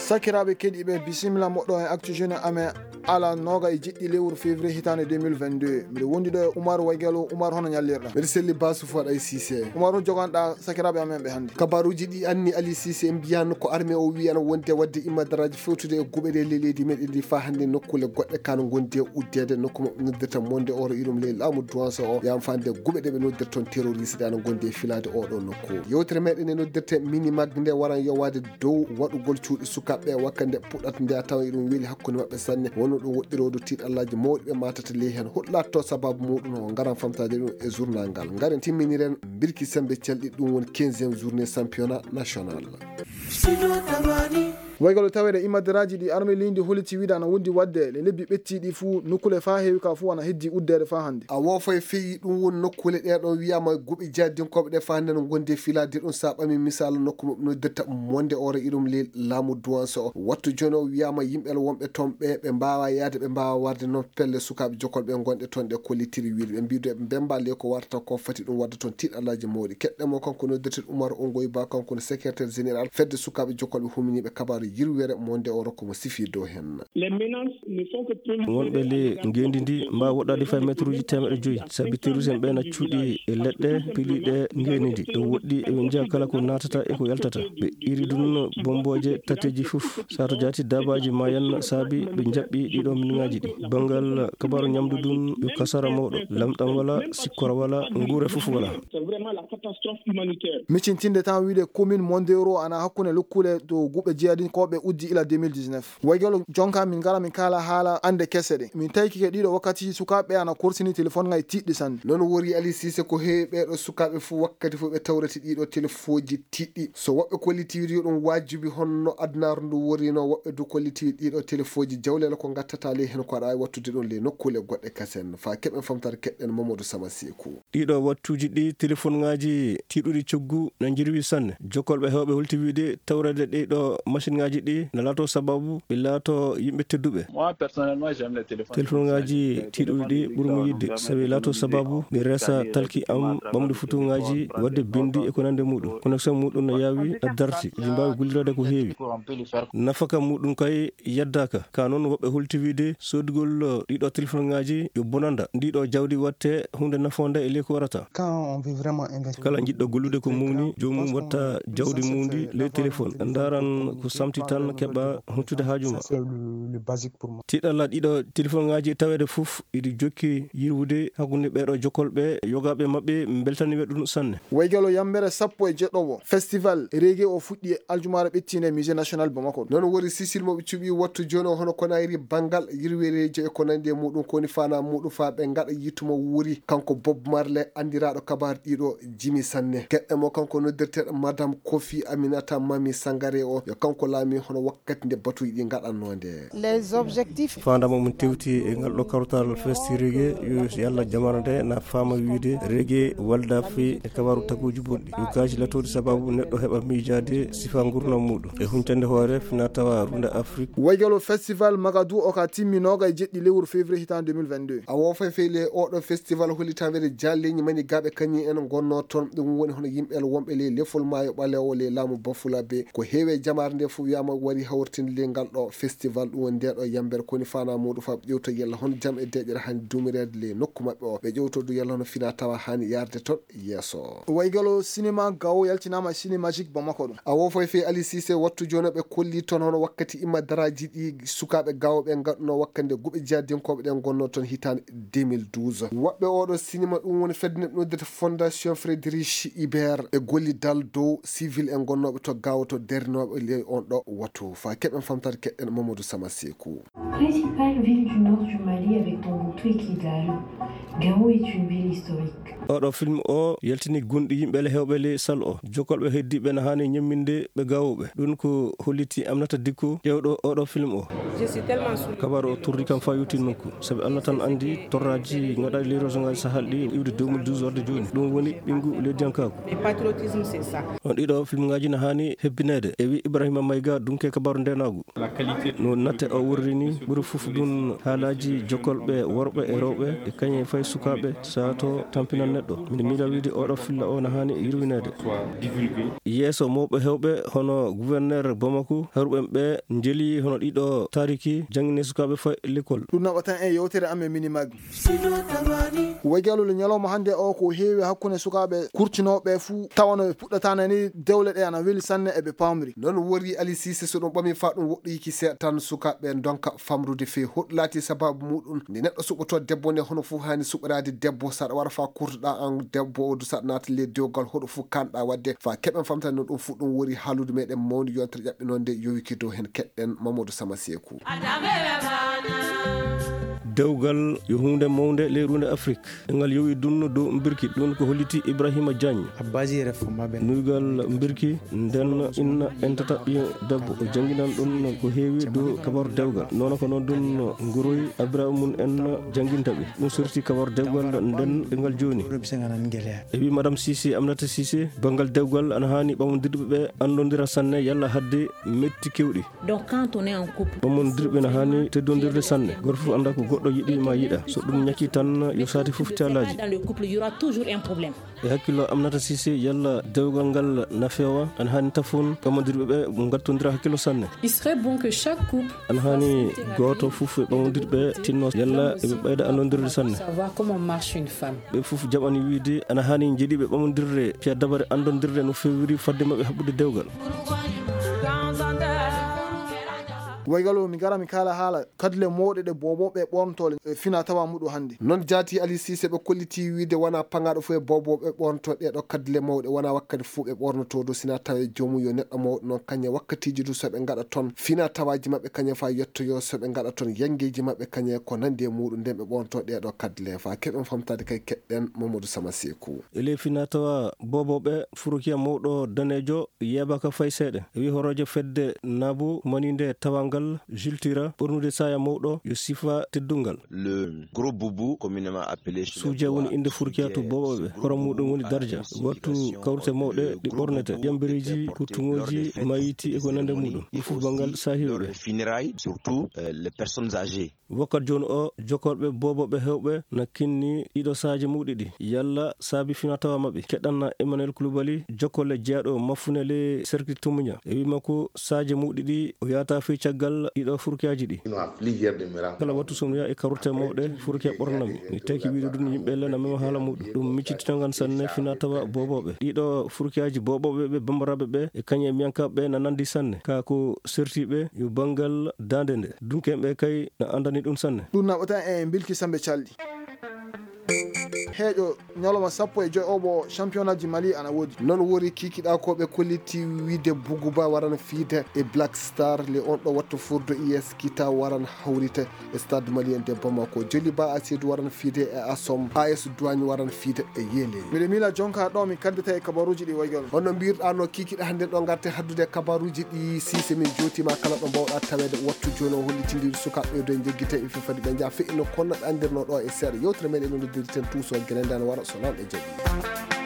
sakiraɓe keɗiɓe bisimilla moɗɗo e actu jeune amen ala noga e jiɗɗi lewru février hitande 2022 mbiɗa wondi ɗo e Oumar Waygalo. Oumar, hono ñallirɗa? mbeɗa selli Basou Faɗay Cissé. Oumar, ho joganɗa sakiraɓe amen ɓe hannde? kabaruji ɗi anni Ali Cissé en mbiyano ko armé o wi ana wonde wadde immadaraji fewtude e guɓeɗe leydi meɗen ndi fa hannde nokkule goɗɗe kano gondi e uddede nokku maɓe noddirta monde oro irum ley laamu douance o yam fande guɓe ɗe ɓe noddirta toon terroriste ana gondi e filade oɗo nokku. yewtere meɗen e noddirte mini magde nde waran yowade dow waɗugol cuuɗi sukaɓe wakka nde puɗɗata nde a tawa iɗum weeli hakkude maɓɓe sanne wonno ɗum woɗɗirodo tiiɗallaji mawɗi ɓe matata ley hen huɗɗatto sababu muɗum o garan famtade ɗum e journal ngal garen timminiren birki sembe celɗi ɗum woni 15e journée championnat national. Waygalo tawede immadiraji ɗi armé leydi holiti wiide ana wondi wadde le lebbi ɓettiɗi fuu nokkule fa heewi ka fuu ana heddi uddede fa hannde. a woofay feewi ɗum woni nokkule ɗeɗon wiyama guɓi jaddinkoɓe ɗe fa hannde no gondi e filade ɗum sa ɓami misal nokku maɓe noddirta monde oro irum le laamu douance o wattu joni o wiyama yimɓel wonɓe toon ɓe mbawa yaade ɓe mbawa warde noon pelle sukaɓe jokolɓe gonɗe toon ɗe kollitiri wiide ɓe mbido ɓe bemba le ko warta ko fati ɗum wadda toon tiiɗallaji mawɗi keɗɗemo kanko noddirte Oumar Ongoy Ba kanko ne secrétaire général fedde sukaɓe jokolɓe huminiɓe kabaru yirwere monde o rokko mo sifi dow hen. wonɓe le ngendi ndi mbawa woɗɗade fay métre uji 100 saabi terroriste en ɓe na cuuɗi e leɗɗe piliɗe ngendi ndi ɗum woɗɗi eɓe jiya kala ko natata e ko yaltata ɓe iri dun bomboje tateji fof sato jati dabaji ma yanna saabi ɓe jaɓɓi ɗiɗo miniŋaji ɗi bangal kabaru ñamdu dun yo kasara mawɗo lamɗam wala sikkora wala nguure fof wala. miccintinde tan wiide commune mondero ana hakkude lukkule to guɓe jeeyadinkoɓe uddi ila 2019. Waygalo jonka min gara min kala haala ande kese ɗe min tawi kike ɗiɗo wakkati sukaɓe ana korsini téléphone ngay tiɗɗi sanne. noon wori Ali Cissé ko heewi ɓeɗo sukaɓe fo wakkati fo ɓe tawrete ɗiɗo téléphone ji tiɗɗi so woɓɓe kollitiwi ɗum wajibi honno adnaru ndu worino woɓɓe du kollitiwi ɗiɗo téléphone ji jawlele ko gattata ley hen ko aɗa wawi wattude ɗon le nokkule goɗɗe kasen fa keɓen famtare keɗɗen Mamadou Sama Sekou. ɗiɗo wattuji ɗi téléphone ngaji tiɗuɗi coggu na jirwi sanne jokkolɓe hewɓe holti wiide tawrede ɗiɗo machine ngaji ɗi na laato sababu ɓe laato yimɓe tedduɓe. téléphone ngaji tiɗuɗi ɗi ɓuurmi yidde sabi laato sababu ɓe resa talki am ɓamde photo ngaji wadde bindi e ko nande muɗum connexion muɗum no yawi na darti ji mbawi gullirade ko heewi nafaka muɗum kay yaddaka ka noon woɓɓe holti wiide sodugol ɗiɗo téléphone ngaji yo bonanda ndiɗo jawdi watte hunde nafonde e ley ko warata kala jiɗɗo gollude ko mumni jomum watta jawdi mundi ley téléphone daran ko samti tan keɓa huccude haajuma. tiɗalla ɗiɗo téléphone ngaji tawede fof iɗi jokki yirwude hakkude ɓeɗo jokkolɓe yogaɓe mabɓe beltaniɓe ɗum sanne. Waygalo yammere 17 festival reggae o fuɗɗi e aljumare ɓettinde musée national Bamako. noon wori sisil moɓe cuɓi wattu joni o hono konayri banggal yirwereji e ko nandi e muɗum koni fana muɗum fa ɓe gaɗa yittumo wuuri kanko Bob Marley andiraɗo kabar ɗiɗo jimi sanne gueɗɗemo kanko noddirteɗo madame Kofi Aminata Mami Sangare o yo kanko laami hono wakkati nde batuji ɗi gaɗannode. les objectifs fandama mum tewti e ngal ɗo kawtal festi reggae yo yalla jamana nde na fama wiide reggae walda fe e kabaru taguji bonɗi yo kaji latode sababu neɗɗo heɓa miijade sifa gurdam muɗum e humtande hoore fina tawa runde Afrique. Waygalo festival Magadou o ka timminoga e jeɗɗi lewru février hitande 2022. a wofa feyle oɗo festival holitawede jalleñi mani gaɓe kañi en gonno toon ɗum woni hono yimɓel wonɓe ley lefol maayo ɓalewo ley laamu Bafulabe ko heewe jamare nde fof wiyama wari hawrtinde le ngal ɗo festival ɗum woni ndeɗo yambere koni fana muɗum fa ɓe ƴewto yalla hono jaam e deƴƴere hani dumirede le nokku mabɓe o ɓe ƴewto du yalla hono fina tawa hani yarde toon yesso. Waygalo cinéma gawo yaltinama cinémagique Bamako ɗum a wofoy fe Ali Cissé wattu joni ɓe kolli toon hono wakkati immadaraji ɗi sukaɓe gawo ɓe gadduno wakkande guɓe jeeyadinkoɓe ɗen gonno toon hitande 2012 woɓɓe oɗo cinéma ɗum woni fedde neɓe noddata fondation Frédéric Hibert ɓe golli dal dow civil en gonnoɓe to gawo to derninoɓe ley on ɗo wattu fa keɓen famtade keɗɗen Mamadou Sama Sekou. Principale ville du nord du Mali avec Tombouctou et Kidal, Gao est une ville historique. oɗo film o yaltini gonɗi yimɓele hewɓe le sal o jokkolɓe heddiɓe ne hani ñamminde ɓe gawuɓe ɗum ko holliti Aminata Dicko ƴewɗo oɗo film o kabaru o turri kam fa yutti nokku saabi Allah tan andi torraji gaɗa liroso ngaji sahal ɗi iwde 2012 warde joni ɗum woni ɓingu leydiyankako on ɗiɗo film ngaji ne hani hebbinede e wi Ibrahima Mayga dunke kabaru ndenagu no natte o wurrini ɓuuri foof ɗum haalaji jokkolɓe worɓe e rewɓe e kañe fay sukaɓe sato tampinan neɗɗo. Miɗo miila wiide oɗo filla o no hani yirwinede. Yeeso mawɓe hewɓe hono gouverneur Bamako hewɓe ɓe jeli hono ɗiɗo tariki jangine sukaɓe fa l'école. ɗum naɓatan en yewtere amen minimag waygalo ñalawma hande o ko heewi hakkunde sukaɓe kurtinoɓe fuu tawano ɓe puɗɗatanani dewle ɗe ana weeli sanne eɓe pamri non wori Ali Cissé so ɗum ɓami fa ɗum woɗɗoyiki seeɗa tan sukaɓe donka famrude fewi hoɗ laati sababu muɗum nde neɗɗo suɓoto debbo nde hono fuu hani suɓorade debbo saɗa wara fa kurtoɗa an debbo o du saɗa naata le dewgal hoɗo fuu kanɗa wadde fa keɓen famtani no ɗum fuu ɗum wori haalude meɗen mawni yontere ƴaɓɓinode yowiki dow hen keɗɗen Mamadou Sama Sekou. dewgal yo hunde mawde leyrude Afrique ngal yowi dunno dow mbirki ɗum ko holliti Ibrahima Diagne nuygal mbirki nden inna entata ɓiyo debbo o janginan ɗum ko heewi dow kabaru dewgal noon ko noon ɗum guroy Abrahimum en jangintaɓe ɗum sorti kabaru dewgal nden ɗengal joni e wi madame Cissé Aminata Cissé bangal dewgal ana hani ɓamodirɓe ɓe andodira sanne yalla hadde metti kewɗi donc quand on est en couple ɓamodirɓe ne hani teddodirde sanne goto fof anda ko goɗɗo yiɗi ma yiɗa so ɗum ñakki tan yo sati fof talaji dans le couple il y aura toujours un problème e hakkilo Aminata Cissé yalla dewgal ngal na fewa ana hani tafon ɓamodirɓe ɓe gattodira hakkilo sanne il serait bon que chaque couple ana hani goto fof e ɓamodirɓe tinno yalla eɓe ɓeyda andodirde sanne savoir comment marche une femme ɓe fof jaɓani wiide ana hani jeeɗiɓe ɓamodirde piya dabare andodirde no fewiri fadde mabɓe haɓɓude dewgal waygalo mi gara mi kala haala kadle mawɗe ɗe boboɓe ɓornotole fina tawa muɗum hannde non jaati Ali Cissé ɓe kolliti wiide wona pangaɗo fof e boboɓe ɓornoto ɗeɗo kadle mawɗe wona wakkati fuu ɓe ɓornoto do sina tawa jomum yo neɗɗo mawɗo noon kañe wakkatiji du soɓe gaɗa toon fina tawaji mabɓe kañe fa yettoyo soɓe gaɗa toon yangueji mabɓe kañe ko nandi e muɗum nden ɓe ɓornoto ɗeɗo kadle fa keɓen famtade kay keɗɗen Mamadou Sama Sekou ele fina tawa boboɓe furukiya mawɗo danejo yebaka fay seeɗa wi horoje fedde nabo maninde tawangal jultira ɓornude saya mawɗo yo sifa teddungal le gros boubou communément appelé suuja woni inde furkiya to boboɓe horo muɗum woni darja wattu kawrute mawɗe ɗi ɓornete jambereji kuttuŋoji mayiti e ko nande muɗum ɗum fof bangal sahiɓeɓe funérailles surtout les personnes âgées wakkat joni o jokorɓe boboɓe hewɓe na kinni ɗiɗo sahaji mawɗi ɗi yalla saabi fina tawa mabɓe keɗanna Emmanuel Coulibaly jokkole jeeyaɗo maffunele cercle Tumuña e wimako sahaji mawɗi ɗi o yata fey caggal ɗiɗo furkiyaji ɗi kala wattu somi wiya e karute mawɗe furkiya ɓornami mi taki wiide ɗum yimɓe lena mema haala muɗum ɗum miccititogan sanne fina tawa boboɓe ɗiɗo furkiyaji boboɓe ɓe bambaraɓe ɓe e kañe miyankaɓe na nandi sanne ka ko sertiɓe yo banggal dande nde dunkeɓe kay na andani ɗum sanne ɗum naɓata en bilki sambe calɗi heeƴo ñalawma 15 obo championnat ji Mali ana woodi non wori kikiɗa ko ɓe kolliti wiide Bougouba warana fiide e Black Star le on ɗo wattu furdo IS Kita waran hawrite e stade malien de Bamako Joliba Asidou waran fiide e Assom AS Douane waran fiide e Yele miɗe miila jonka ɗo mi kaddata e kabaruji ɗi waygol hono mbirɗa no kikiɗa hande ɗo garte haddude kabaruji ɗi Cissé min jotima kala ɗo mbawɗa tawede wattu joni o hollitidi sukaɓe ɗo jeggite e fifade ɓe jaa feƴino konno ɓe andirno ɗo e seeɗa yewtere meɗen no dirten tous o gueɗe ndan wara so noon e jaaɓi